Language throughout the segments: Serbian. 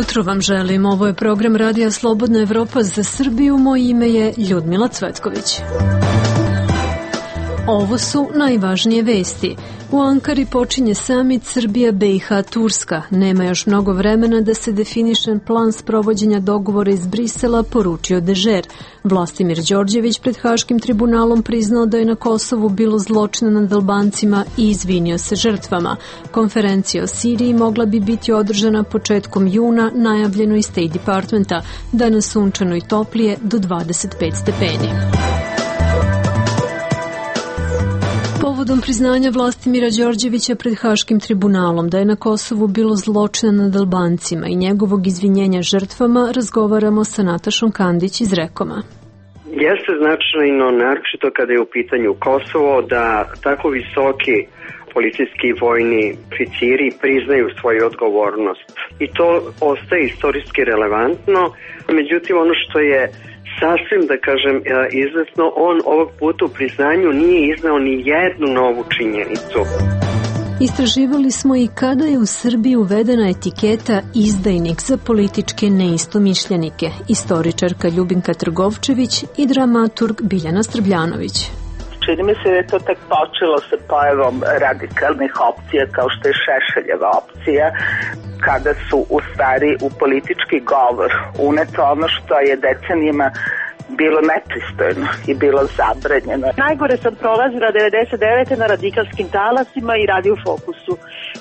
jutro vam želim. Ovo je program Radija Slobodna Evropa za Srbiju. Moje ime je Ljudmila Cvetković. Ovo su najvažnije vesti. U Ankari počinje samit Srbija, BiH, Turska. Nema još mnogo vremena da se definiše plan sprovođenja dogovora iz Brisela, poručio Dežer. Vlastimir Đorđević pred Haškim tribunalom priznao da je na Kosovu bilo zločina nad Albancima i izvinio se žrtvama. Konferencija o Siriji mogla bi biti održana početkom juna, najavljeno iz State Departmenta, danas sunčano i toplije do 25 stepeni. Povodom priznanja Vlastimira Đorđevića pred Haškim tribunalom da je na Kosovu bilo zločina nad Albancima i njegovog izvinjenja žrtvama, razgovaramo sa Natašom Kandić iz Rekoma. Jeste značajno, naročito kada je u pitanju Kosovo, da tako visoki policijski i vojni oficiri priznaju svoju odgovornost. I to ostaje istorijski relevantno. Međutim, ono što je sasvim, da kažem, izvesno, on ovog puta u priznanju nije iznao ni jednu novu činjenicu. Istraživali smo i kada je u Srbiji uvedena etiketa izdajnik za političke neistomišljenike, istoričarka Ljubinka Trgovčević i dramaturg Biljana Strbljanović. Čini mi se da je to tek počelo sa pojavom radikalnih opcija kao što je Šešeljeva opcija, kada su u stvari u politički govor uneto ono što je decenijima bilo nepristojno i bilo zabranjeno. Najgore sam prolazila 99. na radikalskim talasima i Radio Fokusu.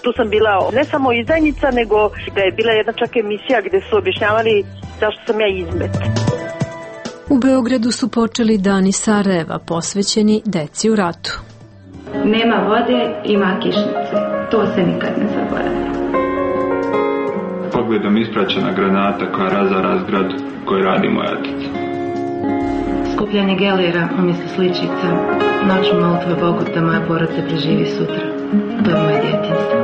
Tu sam bila ne samo izdajnica, nego da je bila jedna čak emisija gde su objašnjavali zašto sam ja izmet. U Beogradu su počeli dani Sarajeva posvećeni deci u ratu. Nema vode, ima kišnice. To se nikad ne zaboravlja. Pogledom ispraćena granata koja razara zgradu koju radi moja tica. Skupljanje gelera umjesto sličica. Noću molitve Bogu da moja porodica preživi sutra. To je moje djetinjstvo.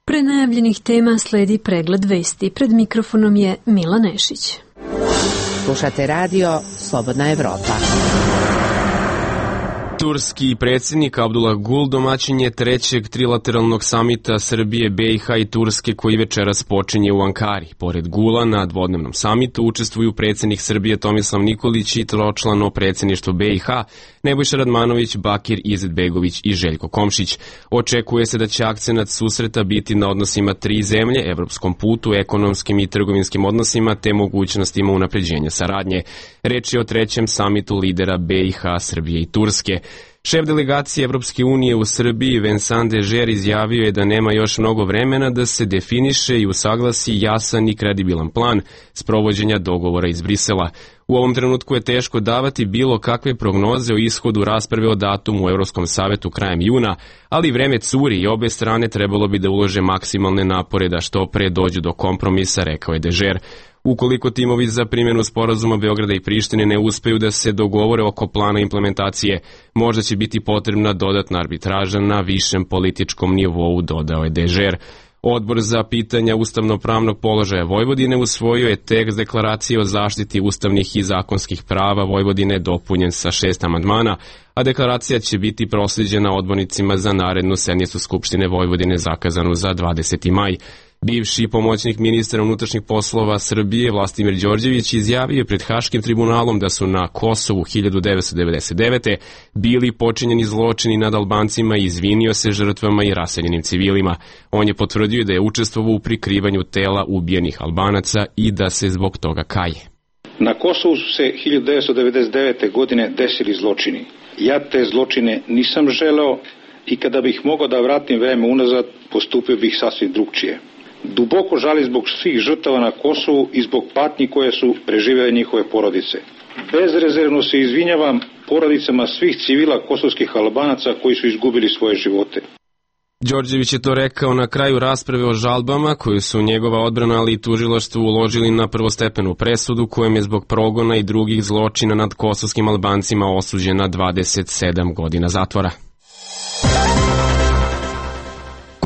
Pre najavljenih tema sledi pregled vesti. Pred mikrofonom je Mila Nešić. Slušate radio Slobodna Evropa. Turski predsjednik Abdullah Gül domaćin je trećeg trilateralnog samita Srbije, BiH i Turske koji večeras počinje u Ankari. Pored Gula na dvodnevnom samitu učestvuju predsjednik Srbije Tomislav Nikolić i tročlano predsjedništvo BiH Nebojša Radmanović, Bakir Izetbegović i Željko Komšić. Očekuje se da će akcenat susreta biti na odnosima tri zemlje, evropskom putu, ekonomskim i trgovinskim odnosima te mogućnostima unapređenja saradnje. Reč je o trećem samitu lidera BiH, Srbije i Turske. Šef delegacije Evropske unije u Srbiji Vincent Dežer izjavio je da nema još mnogo vremena da se definiše i usaglasi jasan i kredibilan plan sprovođenja dogovora iz Brisela. U ovom trenutku je teško davati bilo kakve prognoze o ishodu rasprave o datumu u Evropskom savetu krajem juna, ali vreme curi i obe strane trebalo bi da ulože maksimalne napore da što pre dođu do kompromisa, rekao je Dežer. Ukoliko timovi za primjenu sporazuma Beograda i Prištine ne uspeju da se dogovore oko plana implementacije, možda će biti potrebna dodatna arbitraža na višem političkom nivou, dodao je Dežer. Odbor za pitanja ustavno-pravnog položaja Vojvodine usvojio je tekst deklaracije o zaštiti ustavnih i zakonskih prava Vojvodine dopunjen sa 6 amandmana, a deklaracija će biti proslijeđena odbornicima za narednu sednicu Skupštine Vojvodine zakazanu za 20. maj. Bivši pomoćnik ministra unutrašnjih poslova Srbije Vlastimir Đorđević izjavio pred Haškim tribunalom da su na Kosovu 1999. bili počinjeni zločini nad Albancima i izvinio se žrtvama i raseljenim civilima. On je potvrdio da je učestvovao u prikrivanju tela ubijenih Albanaca i da se zbog toga kaje. Na Kosovu su se 1999. godine desili zločini. Ja te zločine nisam želeo i kada bih mogao da vratim vreme unazad, postupio bih sasvim drugčije. Duboko žali zbog svih žrtava na Kosovu i zbog patnji koje su preživele njihove porodice. Bezrezervno se izvinjavam porodicama svih civila kosovskih Albanaca koji su izgubili svoje živote. Đorđević je to rekao na kraju rasprave o žalbama koju su njegova odbrana ali i tužilaštvo uložili na prvostepenu presudu kojom je zbog progona i drugih zločina nad kosovskim Albancima osuđena 27 godina zatvora.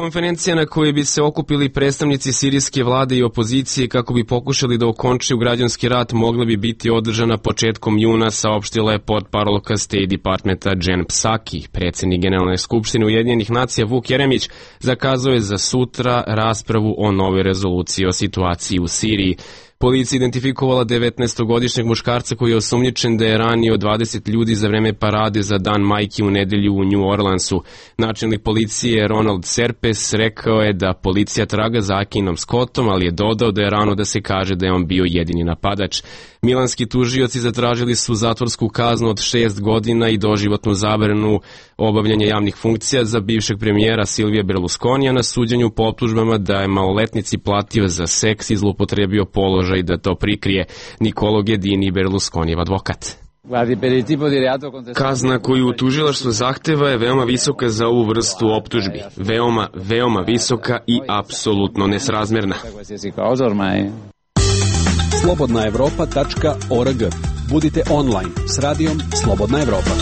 Konferencija na kojoj bi se okupili predstavnici sirijske vlade i opozicije kako bi pokušali da okončaju građanski rat mogla bi biti održana početkom juna, saopštila je potparolka State Departmenta Jen Psaki. Predsjednik Generalne skupštine Ujedinjenih nacija Vuk Jeremić zakazao je za sutra raspravu o novoj rezoluciji o situaciji u Siriji. Policija identifikovala 19-godišnjeg muškarca koji je osumnjičen da je ranio 20 ljudi za vreme parade za Dan majki u nedelju u New Orleansu. Načelnik policije Ronald Serpes rekao je da policija traga za Akinom Scottom, ali je dodao da je rano da se kaže da je on bio jedini napadač. Milanski tužioci zatražili su zatvorsku kaznu od 6 godina i doživotnu zabranu obavljanja javnih funkcija za bivšeg premijera Silvija Berlusconija na suđenju po optužbama da je maloletnici platio za seks i zloupotrebio položaj i da to prikrije. Nicolo Ghedini, Berlusconijev advokat. Kazna koju tužilaštvo zahteva je veoma visoka za ovu vrstu optužbi. Veoma visoka i apsolutno nesrazmerna. slobodnaevropa.org. Budite online s radijom Slobodna Evropa.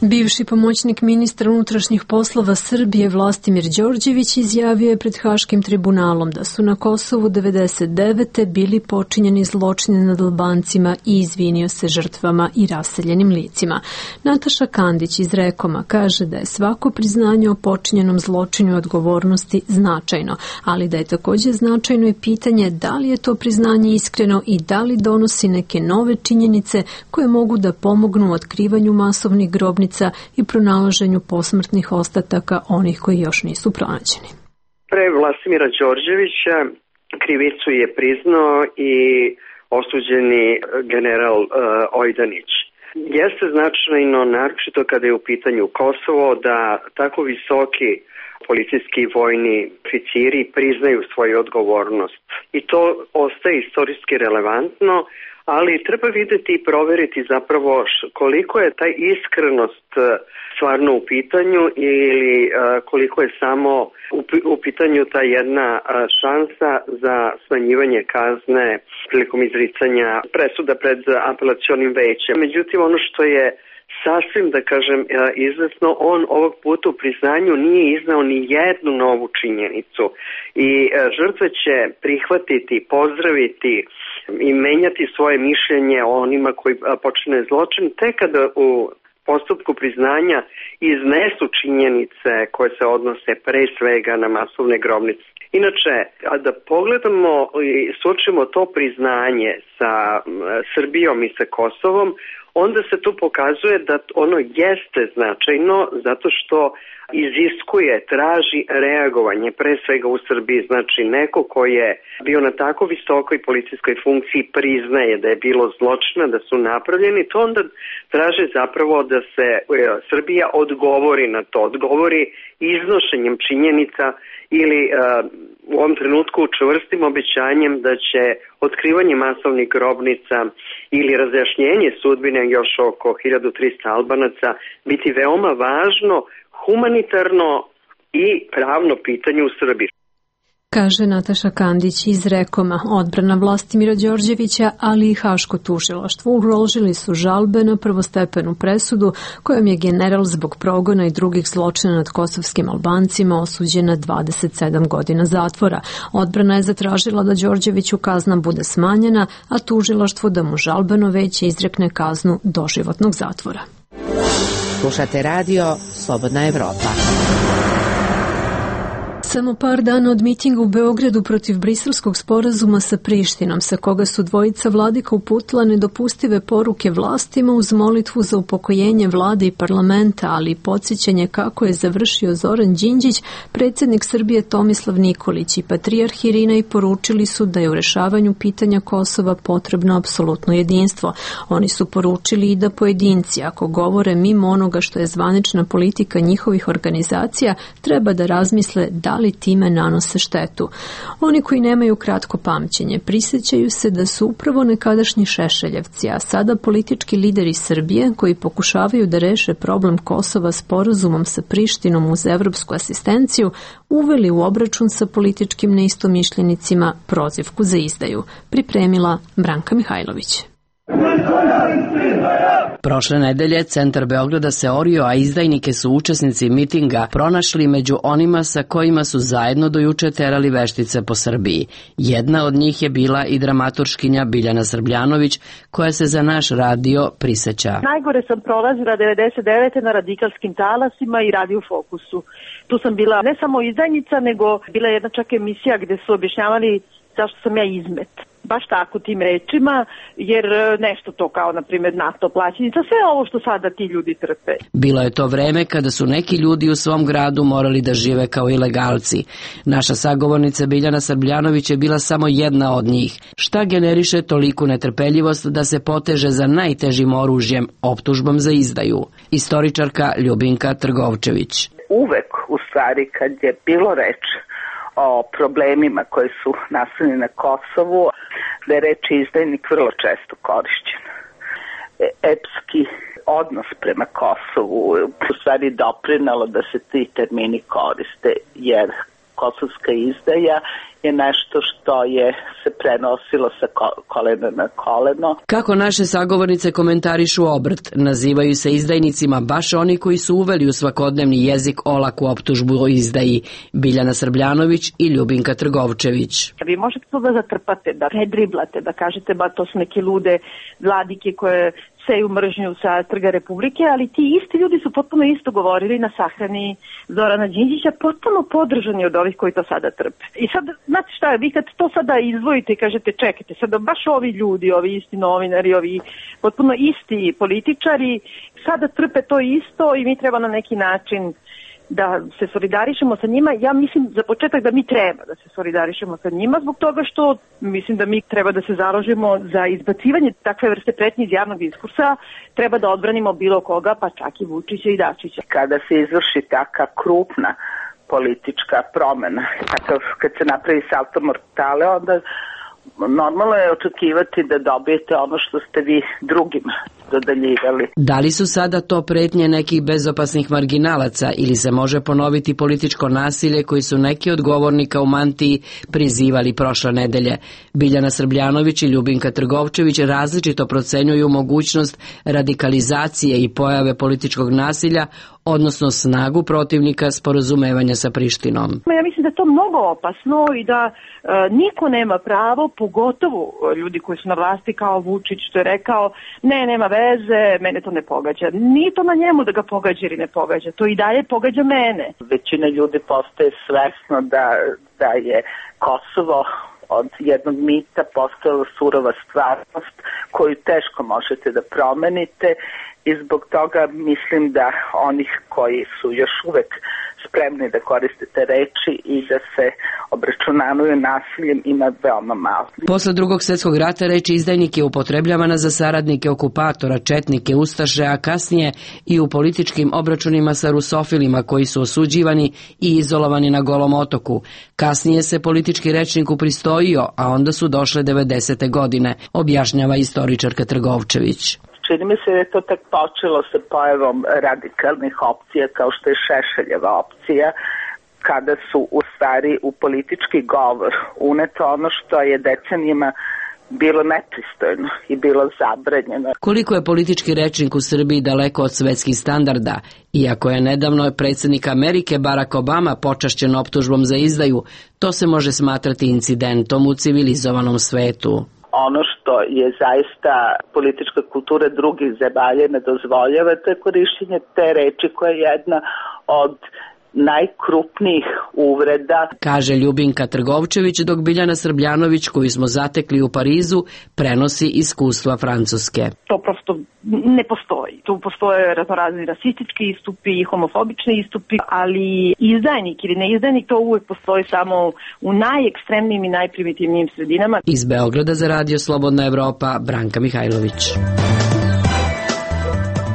Bivši pomoćnik ministra unutrašnjih poslova Srbije Vlastimir Đorđević izjavio je pred Haškim tribunalom da su na Kosovu 1999. bili počinjeni zločini nad Albancima i izvinio se žrtvama i raseljenim licima. Nataša Kandić iz Rekoma kaže da je svako priznanje o počinjenom zločinu i odgovornosti značajno, ali da je također značajno i pitanje da li je to priznanje iskreno i da li donosi neke nove činjenice koje mogu da pomognu u otkrivanju masovnih grobnica i pronalaženju posmrtnih ostataka onih koji još nisu pronađeni. Pre Vlastimira Đorđevića krivicu je priznao i osuđeni general Ojdanić. Jeste značajno, naročito kada je u pitanju Kosovo, da tako visoki policijski i vojni oficiri priznaju svoju odgovornost. I to ostaje istorijski relevantno, ali treba videti i proveriti zapravo koliko je taj iskrenost stvarno u pitanju ili koliko je samo u pitanju ta jedna šansa za smanjivanje kazne prilikom izricanja presuda pred apelacionim većem. Međutim, ono što je sasvim, da kažem, izvesno, on ovog puta u priznanju nije iznao ni jednu novu činjenicu i žrtve će prihvatiti, pozdraviti i menjati svoje mišljenje o onima koji počine zločin tek kada u postupku priznanja iznesu činjenice koje se odnose pre svega na masovne grobnice. Inače, da pogledamo i suočimo to priznanje sa Srbijom i sa Kosovom, onda se tu pokazuje da ono jeste značajno zato što iziskuje, traži reagovanje, pre svega u Srbiji. Znači, neko ko je bio na tako visokoj policijskoj funkciji priznaje da je bilo zločina, da su napravljeni, to onda traže zapravo da se Srbija odgovori na to, odgovori iznošenjem činjenica ili u ovom trenutku čvrstim obećanjem da će otkrivanje masovnih grobnica ili razjašnjenje sudbine još oko 1300 Albanaca biti veoma važno, humanitarno i pravno pitanje u Srbiji. Kaže Nataša Kandić iz Rekoma. Odbrana Vlastimira Đorđevića, ali i Haško tužilaštvo uložili su žalbe na prvostepenu presudu kojom je general zbog progona i drugih zločina nad kosovskim Albancima osuđen na 27 godina zatvora. Odbrana je zatražila da Đorđeviću kazna bude smanjena, a tužilaštvo da mu žalbeno veće izrekne kaznu doživotnog zatvora. Slušate radio Slobodna Evropa. Samo par dana od mitinga u Beogradu protiv briselskog sporazuma sa Prištinom, sa koga su dvojica vladika uputila nedopustive poruke vlastima uz molitvu za upokojenje vlade i parlamenta, ali i podsjećanje kako je završio Zoran Đinđić, predsjednik Srbije Tomislav Nikolić i patrijarh Irina i poručili su da je u rešavanju pitanja Kosova potrebno apsolutno jedinstvo. Oni su poručili i da pojedinci, ako govore mimo onoga što je zvanična politika njihovih organizacija, treba da razmisle da li time nanose štetu. Oni koji nemaju kratko pamćenje prisjećaju se da su upravo nekadašnji Šešeljevci, a sada politički lideri Srbije koji pokušavaju da reše problem Kosova sporazumom sa Prištinom uz evropsku asistenciju, uveli u obračun sa političkim neistomišljenicima prozivku za izdaju. Pripremila Branka Mihajlović. Prošle nedelje centar Beograda se orio, a izdajnike su učesnici mitinga pronašli među onima sa kojima su zajedno do juče terali veštice po Srbiji. Jedna od njih je bila i dramaturškinja Biljana Srbljanović, koja se za naš radio priseća. Najgore sam prolazila 99. na radikalskim talasima i Radio Fokusu. Tu sam bila ne samo izdajnica, nego bila jedna čak emisija gde su objašnjavali zašto sam ja izmet. Baš tako tim rečima, jer nešto to kao, na primjer, NATO plaćenica, sve ovo što sada ti ljudi trpe. Bilo je to vreme kada su neki ljudi u svom gradu morali da žive kao ilegalci. Naša sagovornica Biljana Srbljanović je bila samo jedna od njih. Šta generiše toliku netrpeljivost da se poteže za najtežim oružjem, optužbom za izdaju? Istoričarka Ljubinka Trgovčević. Uvek, u stvari, kad je bilo reč o problemima koji su nastali na Kosovu, da je reč izdajnik vrlo često korišćen. Epski odnos prema Kosovu u stvari doprinalo da se ti termini koriste, jer kosovska izdaja je nešto što je se prenosilo sa kolena na koleno. Kako naše sagovornice komentarišu obrt, nazivaju se izdajnicima baš oni koji su uveli u svakodnevni jezik olaku optužbu o izdaji, Biljana Srbljanović i Ljubinka Trgovčević. Vi možete to da zatrpate, da redriblate, da kažete ba to su neke lude vladike koje seju mržnju sa Trga Republike, ali ti isti ljudi su potpuno isto govorili na sahrani Zorana Đinđića, potpuno podržani od ovih koji to sada trpe. I sad, znate šta je, vi kad to sada izdvojite i kažete čekajte, sada baš ovi ljudi, ovi isti novinari, ovi potpuno isti političari, sada trpe to isto i mi treba na neki način da se solidarišemo sa njima. Ja mislim za početak da mi treba da se solidarišemo sa njima zbog toga što mislim da mi treba da se založimo za izbacivanje takve vrste pretnje iz javnog diskursa, treba da odbranimo bilo koga, pa čak i Vučića i Dačića. Kada se izvrši taka krupna politička promena, takav kad se napravi salto mortale, onda normalno je očekivati da dobijete ono što ste vi drugima dodeljivali. Da li su sada to pretnje nekih bezopasnih marginalaca ili se može ponoviti političko nasilje koji su neki od govornika u mantiji prizivali prošle nedelje? Biljana Srbljanović i Ljubinka Trgovčević različito procenjuju mogućnost radikalizacije i pojave političkog nasilja, odnosno snagu protivnika sporazumevanja sa Prištinom. Ja mislim da je to mnogo opasno i da niko nema pravo, pogotovo ljudi koji su na vlasti kao Vučić što je rekao, nema veze, mene to ne pogađa. Nije to na njemu da ga pogađa ili ne pogađa, to i dalje pogađa mene. Većina ljudi postaje svesno da je Kosovo od jednog mita postala surova stvarnost koju teško možete da promenite i zbog toga mislim da onih koji su još uvek spremni da koriste te reči i da se obračunavaju nasiljem ima veoma malo. Posle Drugog svjetskog rata reč izdajnik je upotrebljavana za saradnike okupatora, četnike, ustaše, a kasnije i u političkim obračunima sa rusofilima koji su osuđivani i izolovani na Golom otoku. Kasnije se politički rečnik upristojio, a onda su došle 90. godine, objašnjava istoričarka Trgovčević. Čini mi se da je to tak počelo sa pojavom radikalnih opcija kao što je Šešeljeva opcija, kada su u stvari u politički govor uneto ono što je decenijima bilo nepristojno i bilo zabranjeno. Koliko je politički rečnik u Srbiji daleko od svetskih standarda, iako je nedavno predsjednik Amerike Barack Obama počašćen optužbom za izdaju, to se može smatrati incidentom u civilizovanom svetu. Ono što je zaista politička kultura drugih zemalja ne dozvoljava, to je korišćenje te reči koja je jedna od najkrupnijih uvreda, kaže Ljubinka Trgovčević, dok Biljana Srbljanović, koju smo zatekli u Parizu, prenosi iskustva Francuske. To prosto ne postoji. Tu postoje raznorazni rasistički istupi i homofobični istupi, ali izdajnik ili neizdajnik to uvek postoji samo u najekstremnijim i najprimitivnijim sredinama. Iz Beograda za Radio Slobodna Evropa, Branka Mihajlović.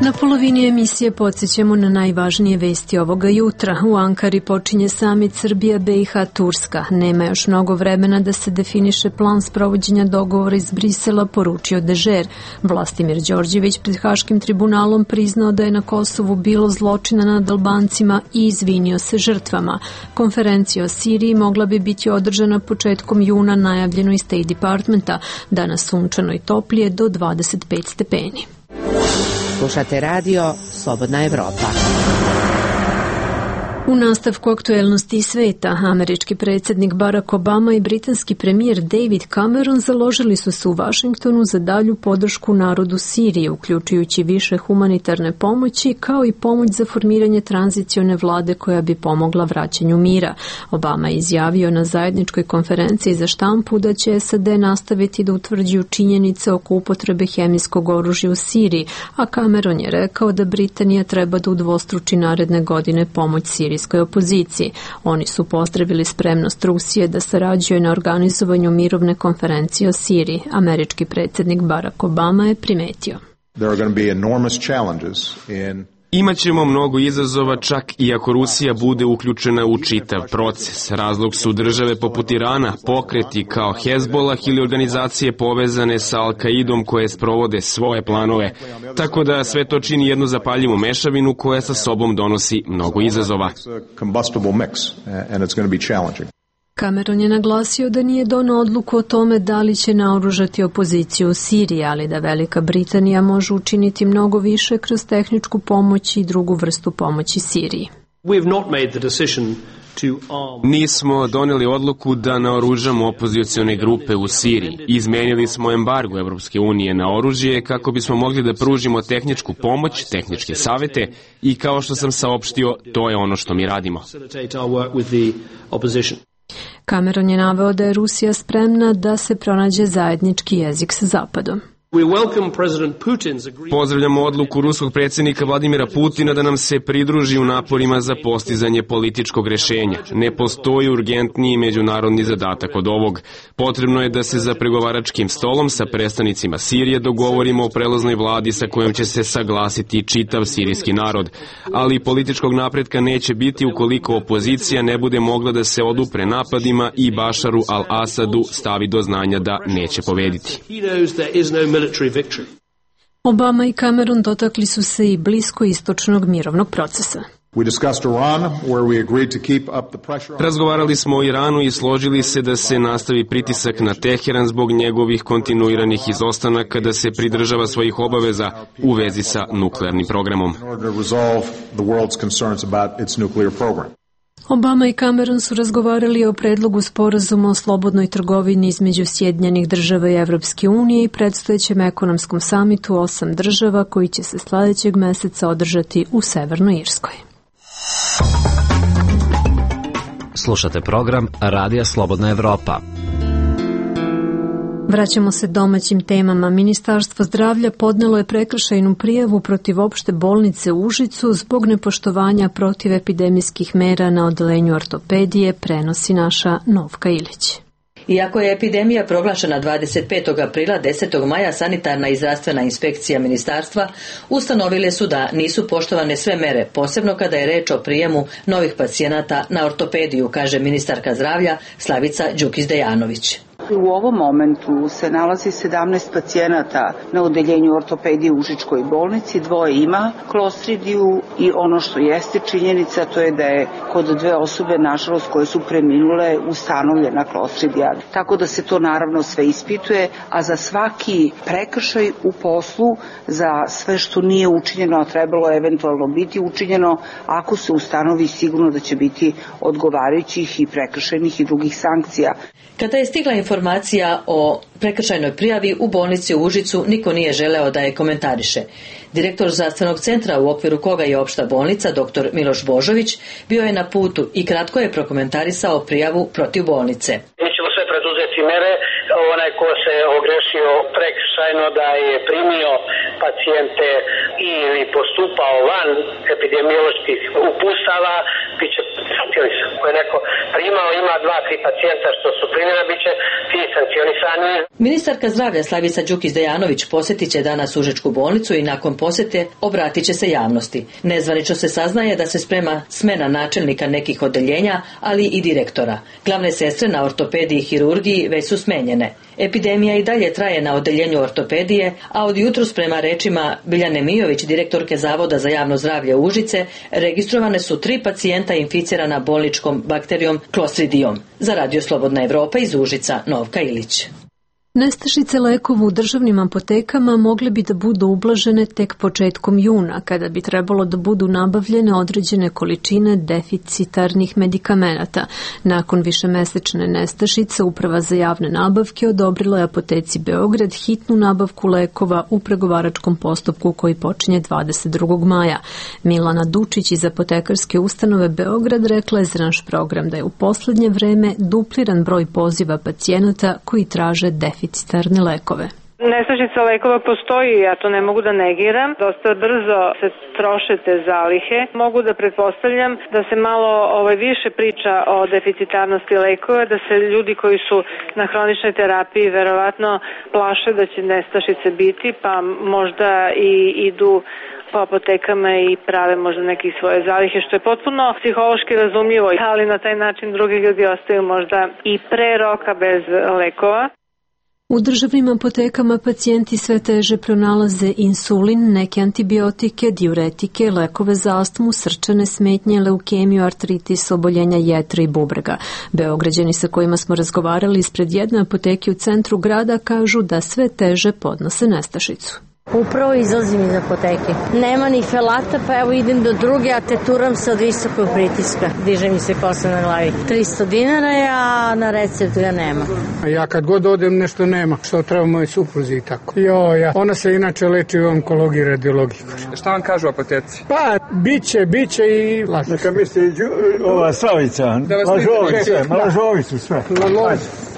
Na polovini emisije podsjećamo na najvažnije vesti ovoga jutra. U Ankari počinje samit Srbija, BiH, Turska. Nema još mnogo vremena da se definiše plan sprovođenja dogovora iz Brisela, poručio Dežer. Vlastimir Đorđević pred Haškim tribunalom priznao da je na Kosovu bilo zločina nad Albancima i izvinio se žrtvama. Konferencija o Siriji mogla bi biti održana početkom juna, najavljeno iz State Departmenta. Danas sunčano i toplije do 25 stepeni. Slušate radio Slobodna Evropa. U nastavku aktuelnosti sveta, američki predsjednik Barack Obama i britanski premijer David Cameron založili su se u Vašingtonu za dalju podršku narodu Sirije, uključujući više humanitarne pomoći, kao i pomoć za formiranje tranzicione vlade koja bi pomogla vraćanju mira. Obama je izjavio na zajedničkoj konferenciji za štampu da će SAD nastaviti da utvrđuju činjenice oko upotrebe hemijskog oružja u Siriji, a Cameron je rekao da Britanija treba da udvostruči naredne godine pomoć sirijskoj opoziciji. Oni su pozdravili spremnost Rusije da sarađuje na organizovanju mirovne konferencije o Siriji. Američki predsjednik Barack Obama je primetio: Imaćemo mnogo izazova čak i ako Rusija bude uključena u čitav proces. Razlog su države poput Irana, pokreti kao Hezbolah ili organizacije povezane sa Al-Kaidom koje sprovode svoje planove. Tako da sve to čini jednu zapaljivu mešavinu koja sa sobom donosi mnogo izazova. Cameron je naglasio da nije doneo odluku o tome da li će naoružati opoziciju u Siriji, ali da Velika Britanija može učiniti mnogo više kroz tehničku pomoć i drugu vrstu pomoći Siriji. Nismo doneli odluku da naoružamo opozicione grupe u Siriji. Izmenili smo embargo Evropske unije na oružje kako bismo mogli da pružimo tehničku pomoć, tehničke savete i kao što sam saopštio, to je ono što mi radimo. Cameron je naveo da je Rusija spremna da se pronađe zajednički jezik sa Zapadom. Pozdravljamo odluku ruskog predsjednika Vladimira Putina da nam se pridruži u naporima za postizanje političkog rešenja. Ne postoji urgentniji međunarodni zadatak od ovog. Potrebno je da se za pregovaračkim stolom sa predstavnicima Sirije dogovorimo o prelaznoj vladi sa kojom će se saglasiti čitav sirijski narod. Ali političkog napretka neće biti ukoliko opozicija ne bude mogla da se odupre napadima i Bašaru al-Asadu stavi do znanja da neće pobediti. Obama i Cameron dotakli su se i bliskoistočnog mirovnog procesa. Razgovarali smo o Iranu i složili se da se nastavi pritisak na Teheran zbog njegovih kontinuiranih izostanaka da se pridržava svojih obaveza u vezi sa nuklearnim programom. Obama i Cameron su razgovarali o predlogu sporazuma o slobodnoj trgovini između Sjedinjenih država i Evropske unije i predstojećem ekonomskom samitu 8 država koji će se sledećeg meseca održati u Severnoj Irskoj. Slušate program Radija Slobodna Evropa. Vraćamo se domaćim temama. Ministarstvo zdravlja podnelo je prekršajnu prijavu protiv opšte bolnice u Užicu zbog nepoštovanja protivepidemijskih mera na odeljenju ortopedije, prenosi naša Novka Ilić. Iako je epidemija proglašena 25. aprila, 10. maja sanitarna i zdravstvena inspekcija ministarstva ustanovile su da nisu poštovane sve mere, posebno kada je reč o prijemu novih pacijenata na ortopediju, kaže ministarka zdravlja Slavica Đukić-Dejanović. U ovom momentu se nalazi 17 pacijenata na odeljenju ortopedije u Užičkoj bolnici, 2 ima klostridiju i ono što jeste činjenica to je da je kod 2 osobe, nažalost, koje su preminule, ustanovljena klostridija. Tako da se to naravno sve ispituje, a za svaki prekršaj u poslu, za sve što nije učinjeno, a trebalo eventualno biti učinjeno, ako se ustanovi, sigurno da će biti odgovarajućih i prekršajnih i drugih sankcija. Kada je stigla informacija o prekršajnoj prijavi u bolnici u Užicu, niko nije želeo da je komentariše. Direktor zdravstvenog centra u okviru koga je opšta bolnica, dr. Miloš Božović, bio je na putu i kratko je prokomentarisao prijavu protiv bolnice. Mi ćemo sve preduzeti mere. Onaj ko se ogrešio prekršajno da je primio pacijente ili postupao van epidemioloških uputstava, bit će sankcionisan. Ko je neko primao, ima 2-3 pacijenta što su primjera, bit će ti sankcionisani. Ministarka zdravlja Slavica Đukić-Dejanović posjetit će danas Užičku bolnicu i nakon posjete obratit će se javnosti. Nezvanično se saznaje da se sprema smena načelnika nekih odeljenja, ali i direktora. Glavne sestre na ortopediji i hirurgiji već su smenjene. Epidemija i dalje traje na odeljenju ortopedije, a od jutros prema rečima Biljane Mijović, direktorke Zavoda za javno zdravlje Užice, registrovane su 3 pacijenta inficirana bolničkom bakterijom klostridijom. Za Radio Slobodna Evropa iz Užica, Novka Ilić. Nestašice lekova u državnim apotekama mogle bi da budu ublažene tek početkom juna, kada bi trebalo da budu nabavljene određene količine deficitarnih medikamenata. Nakon višemesečne nestašice, Uprava za javne nabavke odobrila je apoteci Beograd hitnu nabavku lekova u pregovaračkom postupku koji počinje 22. maja. Milana Dučić iz apotekarske ustanove Beograd rekla je za naš program da je u poslednje vreme dupliran broj poziva pacijenata koji traže deficitarne lekove. Nestašica lekova postoji, ja to ne mogu da negiram. Dosta brzo se troše te zalihe. Mogu da pretpostavljam da se malo više priča o deficitarnosti lekova, da se ljudi koji su na hroničnoj terapiji verovatno plaše da će nestašice biti, pa možda i idu po apotekama i prave možda neke svoje zalihe, što je potpuno psihološki razumljivo, ali na taj način drugi ljudi ostaju možda i pre roka bez lekova. U državnim apotekama pacijenti sve teže pronalaze insulin, neke antibiotike, diuretike, lekove za astmu, srčane smetnje, leukemiju, artritis, oboljenja jetre i bubrega. Beograđani sa kojima smo razgovarali ispred jedne apoteke u centru grada kažu da sve teže podnose nestašicu. Upravo izlazim iz apoteke. Nema ni felata, pa evo idem do druge, a teturam se od visokog pritiska. Diže mi se kosa na glavi. 300 dinara je, a na receptu ga nema. Ja kad god odem nešto nema, što treba moje supruzi i tako. Ona se inače leči u onkologiji i radiologiji. Šta vam kažu apoteci? Pa, biće i lažu. Neka misli ova Slavica, lažovicu sve.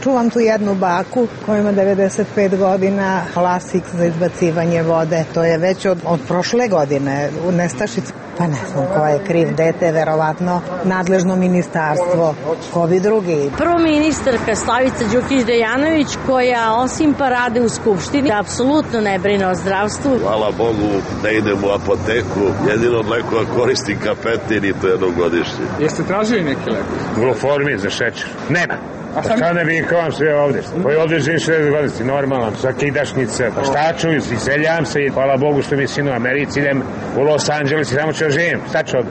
Čuvam tu jednu baku koja ima 95 godina, lasik za izbacivanje vode. To je već od prošle godine u nestašici. Pa ne znam ko je kriv, dete, verovatno nadležno ministarstvo, ko bi drugi. Prvo ministarka Slavica Đukić-Dejanović, koja osim parade u Skupštini apsolutno ne brine o zdravstvu. Hvala Bogu da idem u apoteku, jedino od lekova koristim kapetin i to jednom godišnje. Jeste tražili neki lek? Gluformin za šećer. Nema. Pa šta ne bih kao vam sve ovde? Koji ovde živim 60 godina, normalno, za kidašnice, šta ću, iseljavam se i hvala Bogu što mi sin u Americi, idem u Los Angeles i tamo ću živim, šta ću ovde?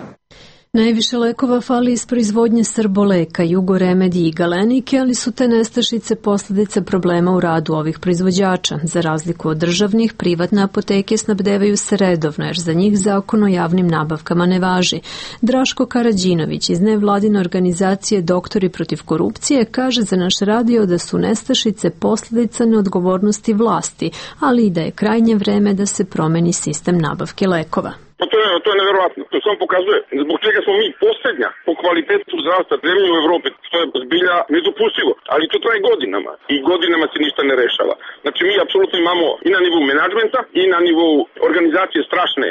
Najviše lekova fali iz proizvodnje Srboleka, Jugoremedije i Galenike, ali su te nestašice posljedica problema u radu ovih proizvođača. Za razliku od državnih, privatne apoteke snabdevaju se redovno, jer za njih zakon o javnim nabavkama ne važi. Draško Karađinović iz nevladine organizacije Doktori protiv korupcije kaže za naš radio da su nestašice posljedica neodgovornosti vlasti, ali i da je krajnje vreme da se promeni sistem nabavke lekova. Pa to je neverovatno. To samo pokazuje zbog čega smo mi posljednja po kvalitetu zdravstva zemlje u Evropi, što je zbilja nedopustivo. Ali to traje godinama i godinama se ništa ne rešava. Znači mi apsolutno imamo i na nivou menadžmenta i na nivou organizacije strašne,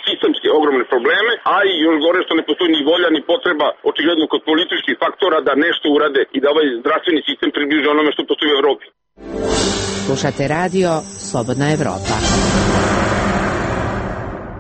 sistemske ogromne probleme, a i još gore što ne postoji ni volja ni potreba očigledno kod političkih faktora da nešto urade i da ovaj zdravstveni sistem približi onome što postoji u Evropi. Slušate radio Slobodna Evropa.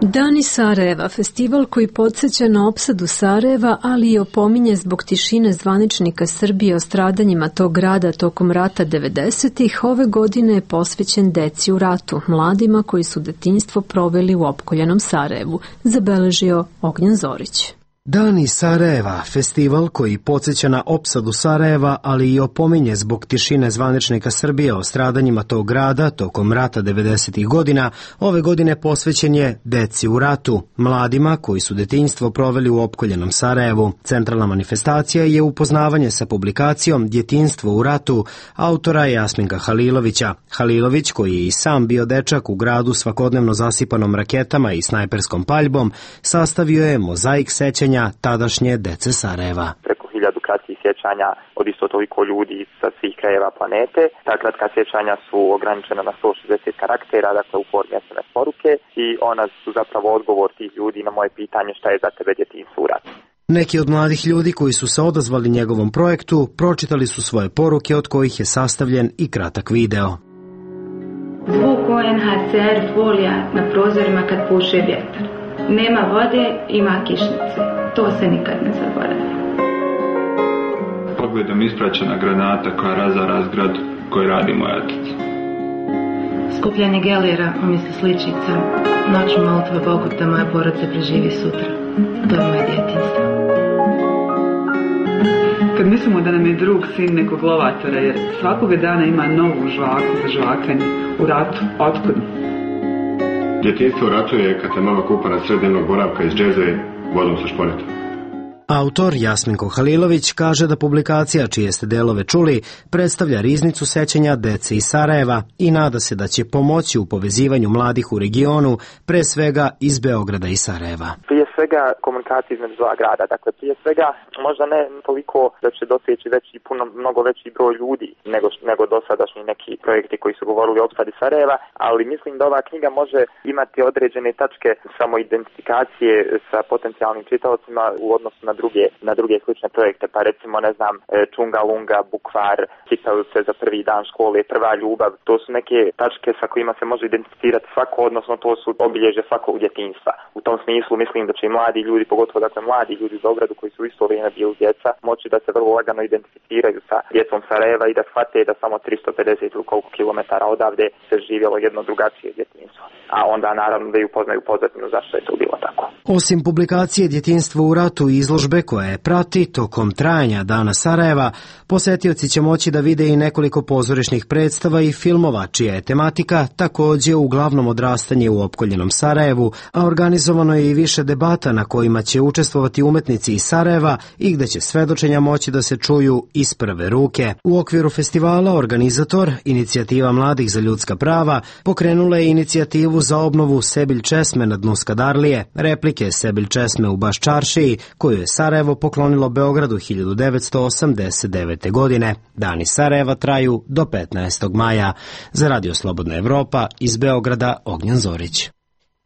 Dani Sarajeva, festival koji podsjeća na opsadu Sarajeva, ali i opominje zbog tišine zvaničnika Srbije o stradanjima tog grada tokom rata 90-ih, ove godine je posvećen deci u ratu, mladima koji su detinjstvo proveli u opkoljenom Sarajevu, zabeležio Ognjen Zorić. Dani Sarajeva, festival koji podsjeća na opsadu Sarajeva, ali i opominje zbog tišine zvaničnika Srbije o stradanjima tog grada tokom rata 90-ih godina, ove godine posvećen je deci u ratu, mladima koji su detinjstvo proveli u opkoljenom Sarajevu. Centralna manifestacija je upoznavanje sa publikacijom Djetinjstvo u ratu autora Jasminka Halilovića. Halilović, koji je i sam bio dečak u gradu svakodnevno zasipanom raketama i snajperskom paljbom, sastavio je mozaik sećanja tadašnje dece Sarajeva. Preko 1000 kratkih sjećanja od isto toliko ljudi sa svih krajeva planete. Ta kratka sjećanja su ograničena na 160 karaktera, dakle u formi SMS poruke, i ona su zapravo odgovor tih ljudi na moje pitanje šta je za tebe djetinjstvo u ratu. Neki od mladih ljudi koji su se odazvali njegovom projektu pročitali su svoje poruke, od kojih je sastavljen i kratak video. Zvuk UNHCR folija na prozorima kad puše vjetar. Nema vode, ima kišnice. To se nikad ne zaboravlja. Pogledom ispraćena granata koja razara zgradu koju radi moj otac. Skupljanje gelera umjesto sličica. Noću molitve Bogu da moja porodica preživi sutra. To je moje djetinjstvo. Kad mislimo da nam je drug sin nekog lovatora, jer svakoga dana ima novu žvaku za žvakanje u ratu, otkud? Djetinjstvo u ratu je kad se mama kupa na sred dnevnog boravka iz džeze vodom sa šporeta. Autor Jasminko Halilović kaže da publikacija čije ste delove čuli predstavlja riznicu sećanja dece iz Sarajeva i nada se da će pomoći u povezivanju mladih u regionu, pre svega iz Beograda i Sarajeva. Prije svega komunikacija između dva grada, dakle prije svega možda ne toliko da će doseći mnogo veći broj ljudi nego dosadašnji neki projekti koji su govorili o opsadi Sarajeva, ali mislim da ova knjiga može imati određene tačke samoidentifikacije sa potencijalnim čitaocima u odnosu na druge slične projekte, pa recimo Čunga Lunga, Bukvar, čitaoce za prvi dan škole, prva ljubav, to su neke tačke sa kojima se može identificirati svako, odnosno to su obilježje svakog djetinjstva. U tom smislu mislim da će i mladi ljudi, pogotovo mladi ljudi u Beogradu koji su u isto vrijeme bili djeca, moći da se vrlo lagano identificiraju sa djecom Sarajeva i da shvate da samo 350 ili koliko kilometara odavde se živjelo jedno drugačije djetinjstvo. A onda naravno da i upoznaju pozadinu zašto je to bilo tako. Osim publikacije Djetinjstvo u ratu i izložbe koja je prati tokom trajanja Dana Sarajeva, posetioci će moći da vide i nekoliko pozorišnih predstava i filmova čija je tematika takođe uglavnom odrastanje u opkoljenom Sarajevu, a organizovano je i više debata na kojima će učestvovati umetnici iz Sarajeva i gde će svedočenja moći da se čuju iz prve ruke. U okviru festivala organizator, Inicijativa mladih za ljudska prava, pokrenula je inicijativu za obnovu Sebilj česme na dnu Skadarlije, replike Sebilj česme u Baščaršiji, koju je Sarajevo poklonilo Beogradu 1989. godine. Dani Sarajeva traju do 15. maja. Za Radio Slobodna Evropa iz Beograda Ognjan Zorić.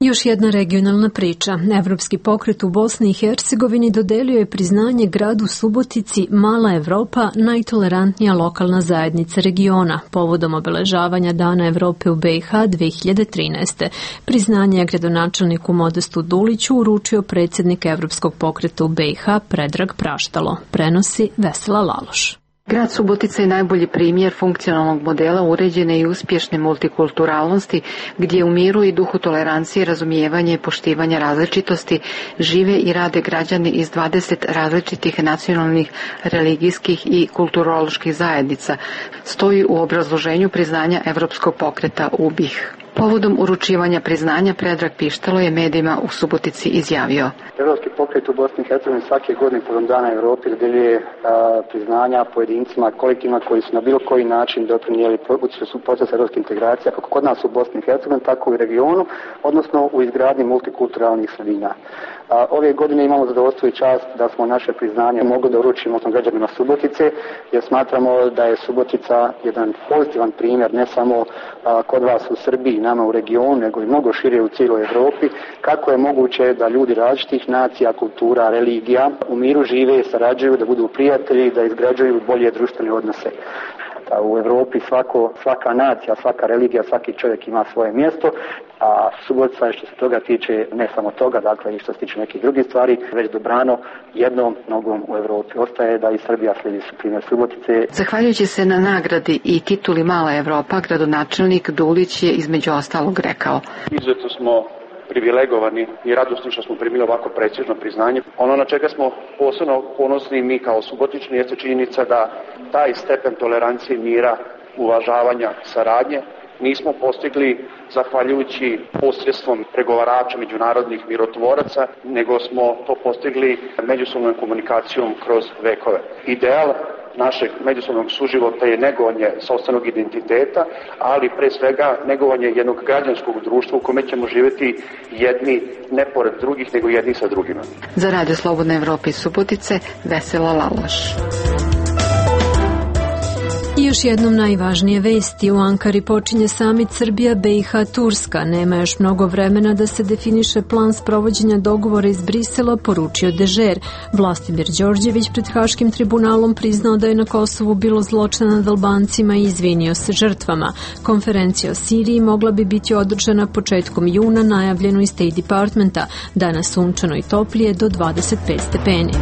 Još jedna regionalna priča. Evropski pokret u Bosni i Hercegovini dodelio je priznanje gradu Subotici Mala Evropa, najtolerantnija lokalna zajednica regiona, povodom obeležavanja Dana Evrope u BiH 2013. Priznanje je gradonačelniku Modestu Duliću uručio predsjednik Evropskog pokreta u BiH Predrag Praštalo. Prenosi Vesela Laloš. Grad Subotica je najbolji primjer funkcionalnog modela uređene i uspješne multikulturalnosti, gdje u miru i duhu tolerancije, razumijevanja i poštivanja različitosti žive i rade građani iz 20 različitih nacionalnih, religijskih i kulturoloških zajednica, stoji u obrazloženju priznanja Evropskog pokreta u BiH. Povodom uručivanja priznanja Predrag Pištalo je medijima u Subotici izjavio: Evropski pokret u Bosni i Hercegovini svake godine povodom Dana Evrope dodeljuje priznanja pojedincima, kolektivima koji su na bilo koji način doprinijeli proces evropske integracije, kako kod nas u Bosni i Hercegovini, tako i u regionu, odnosno u izgradnji multikulturalnih sredina. Ove godine imamo zadovoljstvo i čast da smo naše priznanje mogli da uručimo građanima Subotice, jer smatramo da je Subotica jedan pozitivan primjer, ne samo kod vas u Srbiji, nama u regionu, nego i mnogo šire u cijeloj Evropi, kako je moguće da ljudi različitih nacija, kultura, religija u miru žive, sarađuju, da budu prijatelji, da izgrađuju bolje društvene odnose. U Evropi svaka nacija, svaka religija, svaki čovjek ima svoje mjesto, a Subotica je što se toga tiče, ne samo toga, dakle i što se tiče nekih drugih stvari, već dobrano jednom nogom u Evropi. Ostaje da i Srbija slijedi primjer Subotice. Zahvaljujući se na nagradi i tituli Mala Evropa, gradonačelnik Dulić je između ostalog rekao: Izuzetno smo privilegovani i radosni što smo primili ovako precižno priznanje. Ono na čega smo posebno ponosni mi kao Subotičani jeste činjenica da taj stepen tolerancije, mira, uvažavanja, saradnje nismo postigli zahvaljujući posredstvom pregovarača, međunarodnih mirotvoraca, nego smo to postigli međusobnom komunikacijom kroz vekove. Ideal našeg međusobnog suživota je negovanje sopstvenog identiteta, ali pre svega negovanje jednog građanskog društva u kome ćemo živjeti jedni ne pored drugih, nego jedni sa drugima. Za Radio Slobodna Evropa iz Subotice, Vesela Laloš. I još jednom najvažnije vesti. U Ankari počinje samit Srbija, BiH, Turska. Nema još mnogo vremena da se definiše plan sprovođenja dogovora iz Brisela, poručio Dežer. Vlastimir Đorđević pred Haškim tribunalom priznao da je na Kosovu bilo zločina nad Albancima i izvinio se žrtvama. Konferencija o Siriji mogla bi biti održana početkom juna, najavljeno iz State Departmenta. Danas sunčano i toplije do 25 stepeni.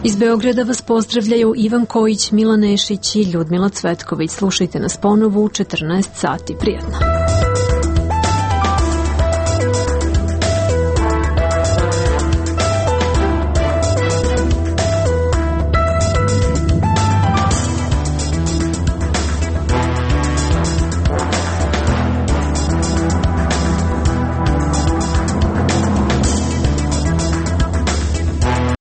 Iz Beograda vas pozdravljaju Ivan Kojić, Milan Nešić i Ljudmila Cvetković. Slušajte nas ponovo u 14 sati. Prijatno.